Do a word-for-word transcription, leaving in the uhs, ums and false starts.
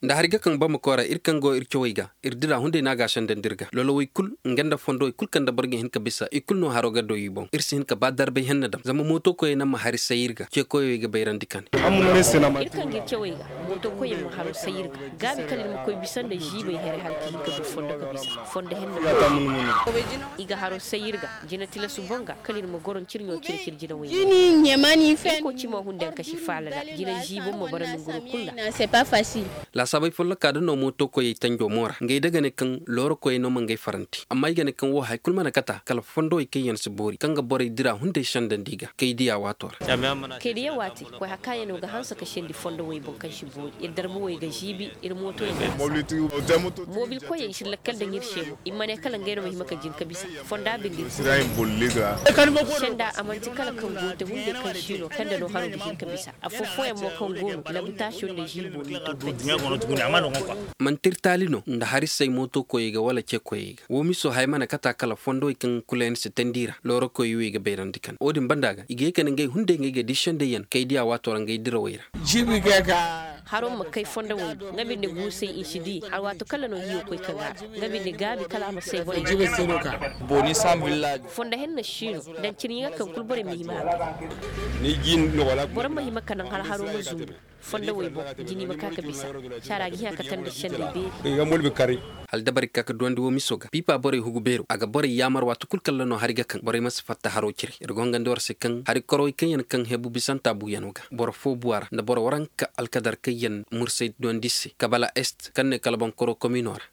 Nda hari ga kaŋ bamako ra iri kaŋ go iri cawey ga, iri dira hunday no a ga a sendandi iri ga. Lolo way kulu nga nda fondo way kulu kaŋ nda boro ga hin ka bisa i kulu no haro ga doy i boŋ. Iri si hin ka ba darbay henna dam zama mooto koyey naŋ ma hari say iri ga ce koyey ga bayrandi kane. Iri kaŋ ga iri cawey ga mooto koyey ma haro say iri ga gaabi kala iri ma koy bisa nda ziibay here hala ka hin ka du fondo ka bisa fondo henna. I ga haro say iri ga jina tilasu boŋ ga kala iri ma goro ncirɲo cire cire jina way. Iri ko cimo hunday yaŋ kasi faala ra jina ziibo ma bara nanguro kulu ra. Laasaabey folloka da no mooto koyey tanjo mo ra ngey da ga ne kaŋ looro koyey no ma ngey faranti amma i ga ne kaŋ wo hari kulu mana kata kala fondowey kaŋ yaŋ si boori kaŋ ga borey dira hunday sendandi i ga kay diya waato ra. Kay diya waati koy hari kaŋ yaŋ no ga hanse ka sendi fondowey boŋ kaŋ si boori iri darbuwey ga ziibi iri mootoyey ga hanse. Moobil koyey i si lakkal daŋ iri se mo i ma ne kala ngey no ma hima ka jin ka bisa fonda binde. Senda a manti kala kaŋ go te hunday kaŋ si no kaŋ da no haro ga hin ka bisa. Afo fooyaŋ mo kaŋ go no labitaasiyo nda ziibo no i to peti. Manti iri taali no nda hari say mooto koyey ga wala ce koyey ga wo miso haya mana kata kala fondowey kaŋ kula yaŋ si tandi i ra looro koyey wo i ga bayrandi kane wo- din banda ga i ga ye kala ngey hunday ngey ga di sendey yaŋ kay diya waato ra ngey dirawey ra. Haro ma kay fondowey do nga binde guusay i si di alwaato kala no hiyo koy ka gaara. Nga binde gaabi kala a ma say borey ga. Fondo henna si no daŋ cine yaŋ kaŋ kulu borey ma hima a ga. Boro ma hima ka naŋ hala haro ma zumbu fondowey boŋ jini ma ka ka bisa. Caara ga hima ka tanda sendey beeri. Hala dabari ga ka ka duwandi wo miso ga piipa borey hugu beero a ga borey yaamar waati kulu kala no hari ga kaŋ borey ma si fatta haro cire iri go hangandi war se kaŋ hari korowey kaŋ yaŋ kaŋ hebu bisanta buuyano ga boro fo buwa ra nda boro waranka alkadar kaŋ yaŋ mursay duwandi se kabala est kaŋ ne kala boŋ koro komino ra.